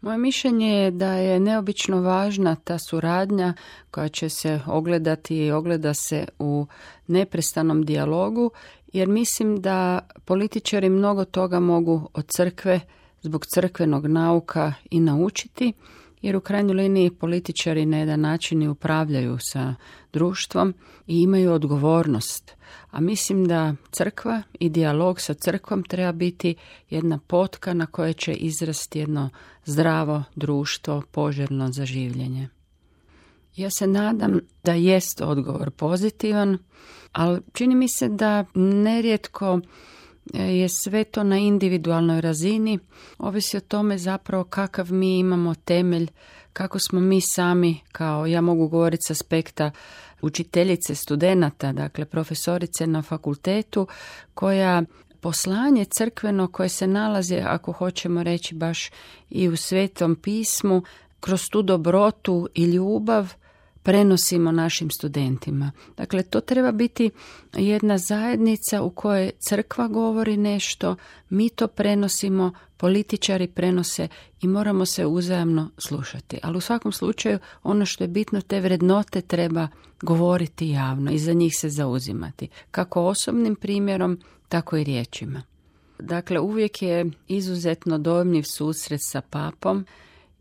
Moje mišljenje je da je neobično važna ta suradnja koja će se ogledati i ogleda se u neprestanom dijalogu, jer mislim da političari mnogo toga mogu od crkve zbog crkvenog nauka i naučiti, jer u krajnjoj liniji političari na jedan način i upravljaju sa društvom i imaju odgovornost. A mislim da crkva i dijalog sa crkvom treba biti jedna potka na kojoj će izrasti jedno zdravo društvo, poželjno za življenje. Ja se nadam da jest odgovor pozitivan, ali čini mi se da nerijetko je sve to na individualnoj razini, ovisi o tome zapravo kakav mi imamo temelj, kako smo mi sami, kao ja mogu govoriti s aspekta učiteljice studenata, dakle profesorice na fakultetu, koja poslanje crkveno koje se nalazi, ako hoćemo reći baš i u Svetom pismu, kroz tu dobrotu i ljubav prenosimo našim studentima. Dakle, to treba biti jedna zajednica u kojoj crkva govori nešto, mi to prenosimo, političari prenose i moramo se uzajamno slušati. Ali u svakom slučaju, ono što je bitno, te vrednote treba govoriti javno i za njih se zauzimati. Kako osobnim primjerom, tako i riječima. Dakle, uvijek je izuzetno dojmljiv susret sa papom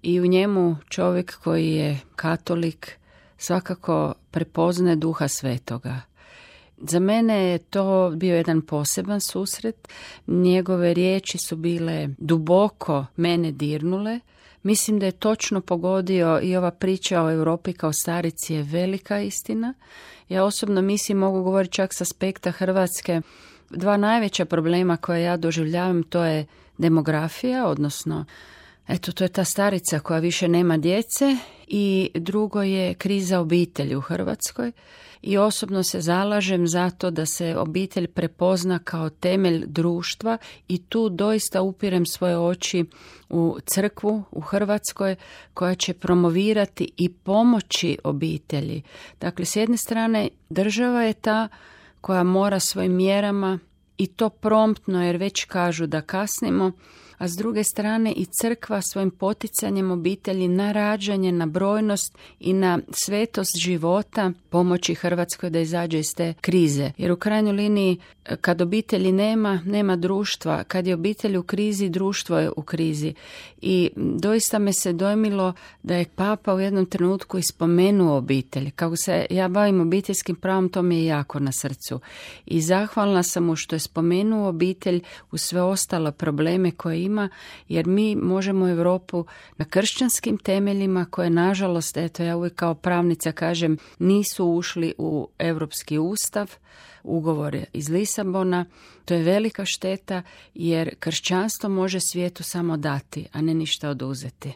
i u njemu čovjek koji je katolik svakako prepoznaje Duha Svetoga. Za mene je to bio jedan poseban susret. Njegove riječi su bile duboko mene dirnule. Mislim da je točno pogodio i ova priča o Europi kao starici je velika istina. Ja osobno mislim, mogu govoriti čak s aspekta Hrvatske, dva najveća problema koje ja doživljavam, to je demografija, odnosno to je ta starica koja više nema djece, i drugo je kriza obitelji u Hrvatskoj. I osobno se zalažem za to da se obitelj prepozna kao temelj društva i tu doista upirem svoje oči u crkvu u Hrvatskoj koja će promovirati i pomoći obitelji. Dakle, s jedne strane država je ta koja mora svojim mjerama, i to promptno jer već kažu da kasnimo, a s druge strane i crkva svojim poticanjem obitelji na rađanje, na brojnost i na svetost života pomoći Hrvatskoj da izađe iz te krize. Jer u krajnjoj liniji kad obitelji nema društva, kad je obitelj u krizi, društvo je u krizi. I doista me se dojmilo da je Papa u jednom trenutku ispomenuo obitelj. Kako se ja bavim obiteljskim pravom, to mi je jako na srcu. I zahvalna sam mu što je spomenuo obitelj u sve ostale probleme koje ima, jer mi možemo Europu na kršćanskim temeljima koje nažalost, ja uvijek kao pravnica kažem, nisu ušli u Europski ustav, ugovor iz Lisabona. To je velika šteta jer kršćanstvo može svijetu samo dati, a ne ništa oduzeti.